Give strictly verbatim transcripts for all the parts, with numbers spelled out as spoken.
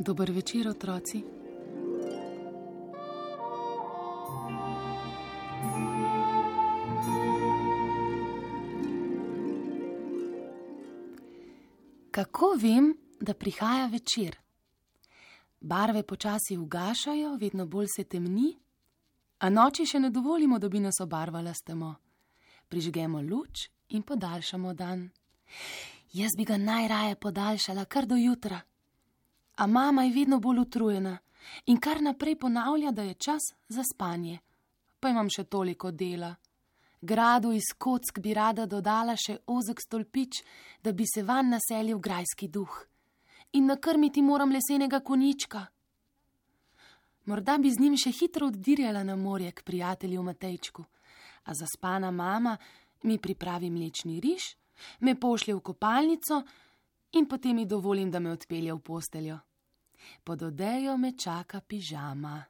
Dober večer, otroci. Kako vem, da prihaja večer? Barve počasi ugašajo, vedno bolj se temni, a noči še ne dovolimo, da bi nas obarvala s temo. Prižgemo luč in podaljšamo dan. Jaz bi ga najraje podaljšala kar do jutra. A mama je vedno bolj utrujena in kar naprej ponavlja, da je čas za spanje. Pa imam še toliko dela. Gradu iz kock bi rada dodala še ozek stolpič, da bi se vanj naselil grajski duh. In nakrmiti moram lesenega konjička. Morda bi z njim še hitro oddirjala na morje k prijatelju Matejčku, a zaspana mama mi pripravi mlečni riž, me pošlje v kopalnico in potem mi dovolim, da me odpelje v posteljo. Pod odejo me čaka pižama.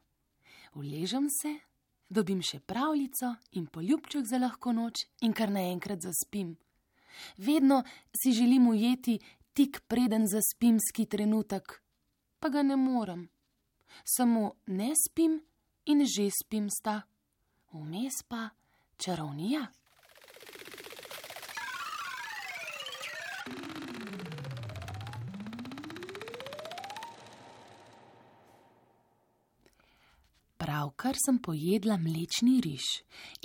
Uležem se, dobim še pravljico in poljubček za lahko noč in kar naenkrat zaspim. Vedno si želim ujeti tik preden zaspimski trenutek, pa ga ne morem. Samo ne spim in že spim sta. Vmes pa čarovnija. Pravkar sem pojedla mlečni riž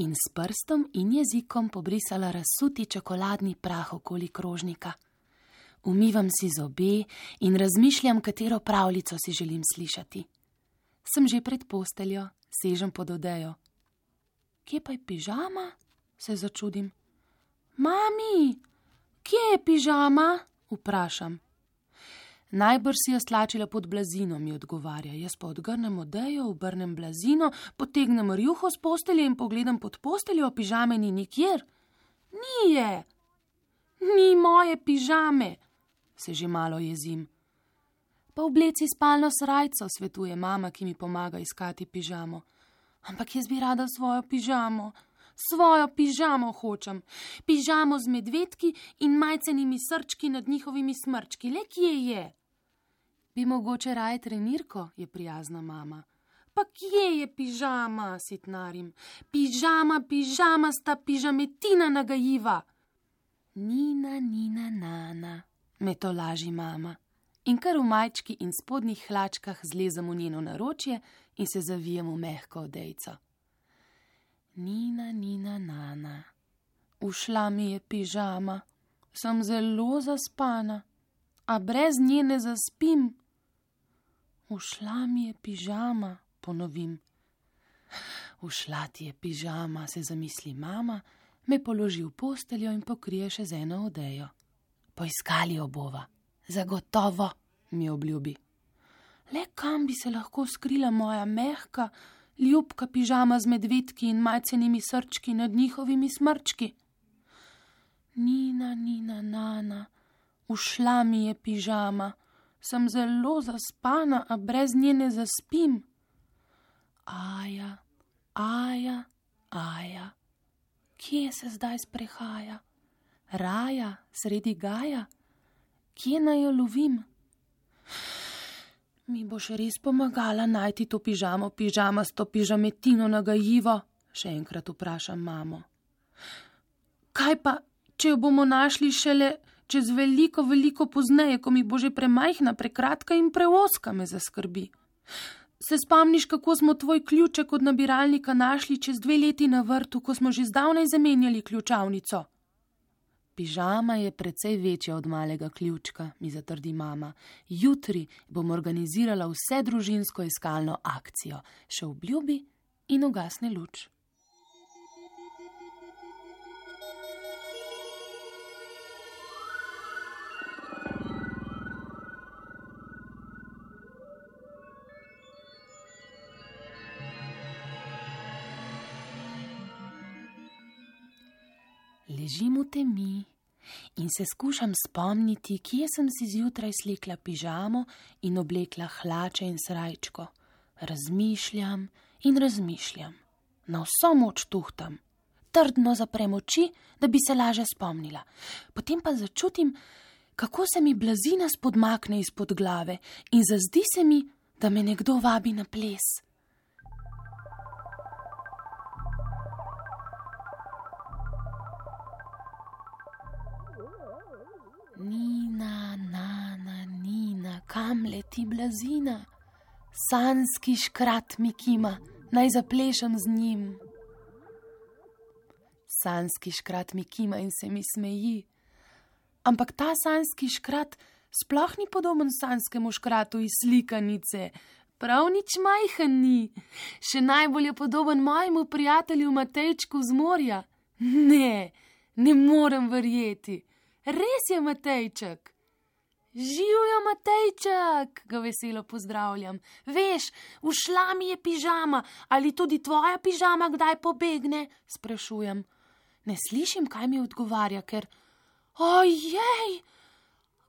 in s prstom in jezikom pobrisala razsuti čokoladni prah okoli krožnika. Umivam si zobe in razmišljam, katero pravljico si želim slišati. Sem že pred posteljo, sežem pod odejo. Kje pa je pižama? Se začudim. Mami, kje je pižama? Vprašam. Najbrž si jo stlačila pod blazino, mi odgovarja. Jaz pa odgrnem odejo, obrnem blazino, potegnem rjuho s postelje in pogledam pod posteljo, a pižame ni nikjer. Ni je! Ni moje pižame! Se že malo jezim. Pa obleci spalno srajco, svetuje mama, ki mi pomaga iskati pižamo. Ampak jaz bi rada svojo pižamo. Svojo pižamo hočem. Pižamo z medvedki in majcenimi srčki nad njihovimi smrčki. Le kje je? Bi mogoče raje trenirko, je prijazna mama. Pa kje je pižama, sitnarim? Pižama, pižama sta pižametina nagajiva. Nina, nina, nana, me to laži mama. In kar v majčki in spodnjih hlačkah zlezem v njeno naročje in se zavijem v mehko odejco. Nina, nina, nana, ušla mi je pižama, sem zelo zaspana, a brez nje ne zaspim. Ušla mi je pižama, ponovim. Ušla ti je pižama, se zamisli mama, me položi v posteljo in pokrije še z eno odejo. Poiskali jo bova, zagotovo, mi obljubi. Le kam bi se lahko skrila moja mehka, ljubka pižama z medvedki in majcenimi srčki nad njihovimi smrčki? Nina, nina, nana, ušla mi je pižama, sem zelo zaspana, a brez nje ne zaspim. Aja, aja, aja, kje se zdaj sprehaja? Raja, sredi gaja, kje naj jo lovim? Mi boš res pomagala najti to pižamo, pižama s to pižametino nagajivo? Še enkrat vprašam mamo. Kaj pa, če jo bomo našli šele čez veliko, veliko pozneje, ko mi bo že premajhna, prekratka in preoska, me zaskrbi. Se spomniš, kako smo tvoj ključek od nabiralnika našli čez dve leti na vrtu, ko smo že zdavnaj zamenjali ključavnico? Pižama je precej večja od malega ključka, mi zatrdi mama. Jutri bom organizirala vse družinsko iskalno akcijo. Še obljubi in ugasne luč. Ležim v temi in se skušam spomniti, kje sem si zjutraj slekla pižamo in oblekla hlače in srajčko. Razmišljam in razmišljam. Na vso moč tuhtam. Trdno zaprem oči, da bi se laže spomnila. Potem pa začutim, kako se mi blazina spodmakne izpod glave in zazdi se mi, da me nekdo vabi na ples. Nina, Nana, Nina, kam leti blazina? Sanjski škrat mi kima, naj zaplešem z njim. Sanjski škrat mi kima in se mi smeji. Ampak ta sanjski škrat sploh ni podoben sanjskemu škratu iz slikanice. Prav nič majhen ni. Še najbolj je podoben mojemu prijatelju Matejčku z morja. Ne, ne morem verjeti. Res je Matejček. Živjo, Matejček, ga veselo pozdravljam. Veš, ušla mi je pižama, ali tudi tvoja pižama kdaj pobegne? Sprašujem. Ne slišim, kaj mi odgovarja, ker... Ojej,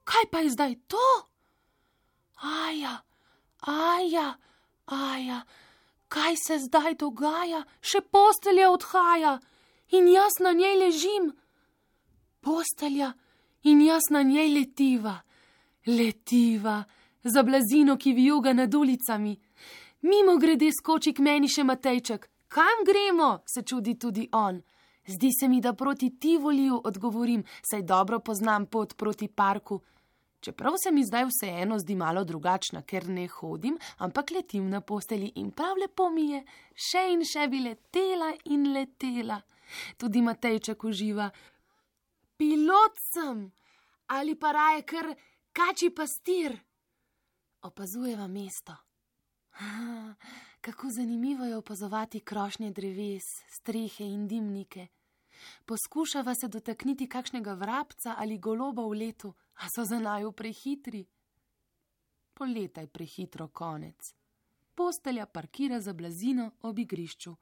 kaj pa je zdaj to? Aja, aja, aja, kaj se zdaj dogaja? Še postelja odhaja in jaz na njej ležim. Postelja in jaz na njej letiva. Letiva, za blazino, ki vijuga nad ulicami. Mimo grede skoči k meni še Matejček. Kam gremo? Se čudi tudi on. Zdi se mi, da proti Tivoliju, odgovorim, saj dobro poznam pot proti parku. Čeprav se mi zdaj vseeno zdi malo drugačna, ker ne hodim, ampak letim na postelji in prav lepo mi je. Še in še bi letela in letela. Tudi Matejček uživa. Pilot sem, ali pa raje kar kačji pastir. Opazujeva mesto. Ah, kako zanimivo je opazovati krošnje dreves, strehe in dimnike. Poskušava se dotakniti kakšnega vrabca ali goloba v letu, a so za naju prehitri. Poletaj prehitro, konec. Postelja parkira za blazino ob igrišču.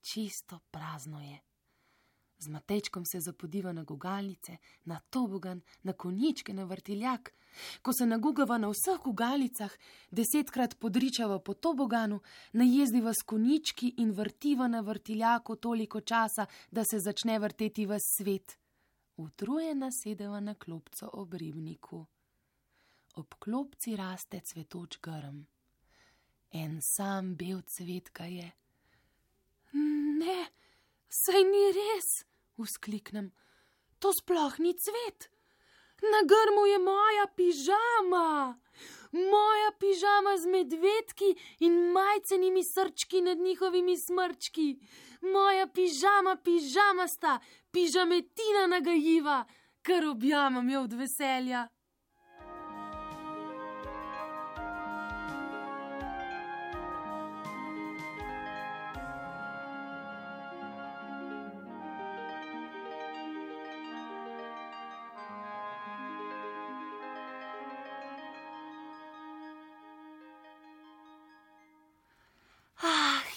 Čisto prazno je. Z Matejčkom se zapodiva na gugalnice, na tobogan, na konjičke, na vrtiljak. Ko se nagugava na vseh gugalicah, desetkrat podričava po toboganu, najezdiva s konjički in vrtiva na vrtiljaku toliko časa, da se začne vrteti ves svet. Utrujena sedeva na klopco ob ribniku. Ob klopci raste cvetoč grm. En sam bel cvet ga je. Ne, saj ni res, vzkliknem. To sploh ni cvet. Na grmu je moja pižama. Moja pižama z medvedki in majcenimi srčki nad njihovimi smrčki. Moja pižama, pižamasta, pižametina nagajiva, kar objamam jo od veselja.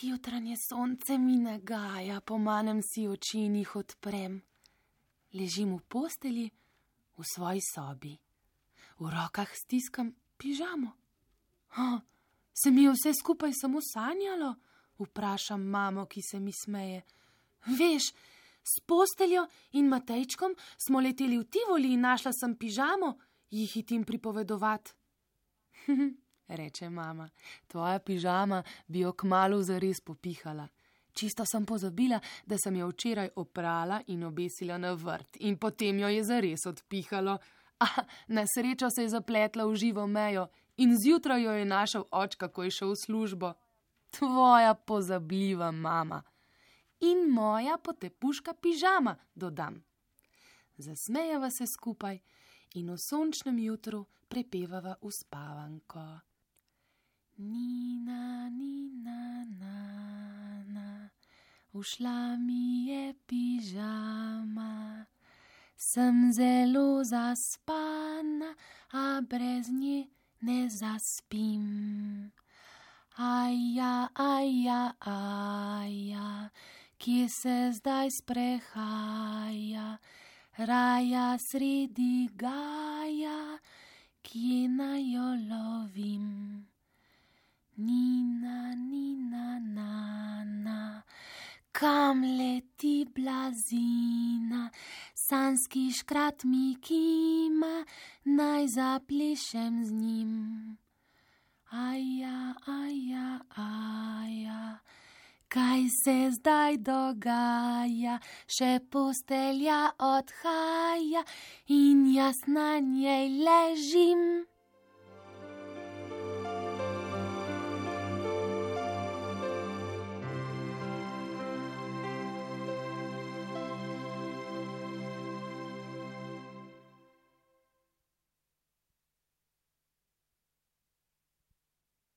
Jutranje sonce mi nagaja, pomanem si oči in jih odprem. Ležim v postelji v svoji sobi. V rokah stiskam pižamo. Oh, se mi je vse skupaj samo sanjalo? Vprašam mamo, ki se mi smeje. Veš, s posteljo in Matejčkom smo leteli v Tivoli in našla sem pižamo, jih hitim pripovedovat. Reče mama, tvoja pižama bi jo kmalu zares popihala. Čisto sem pozabila, da sem jo včeraj oprala in obesila na vrt in potem jo je zares odpihalo. A, na srečo se je zapletla v živo mejo in zjutraj jo je našel očka, ko je šel v službo. Tvoja pozabljiva mama. In moja potepuška pižama, dodam. Zasmejava se skupaj in v sončnem jutru prepevava uspavanko. Nina, Nina, Nana, ušla mi je pižama. Sem zelo zaspana, a brez nje ne zaspim. Aja, aja, aja, kje se zdaj sprehaja, raja sredi gaja, kje naj jo lovim. Nina, Nina, Nana, kam leti blazina, sanski škrat mi kima, naj zaplešem z njim. Aja, aja, aja, kaj se zdaj dogaja, še postelja odhaja in jaz na njej ležim.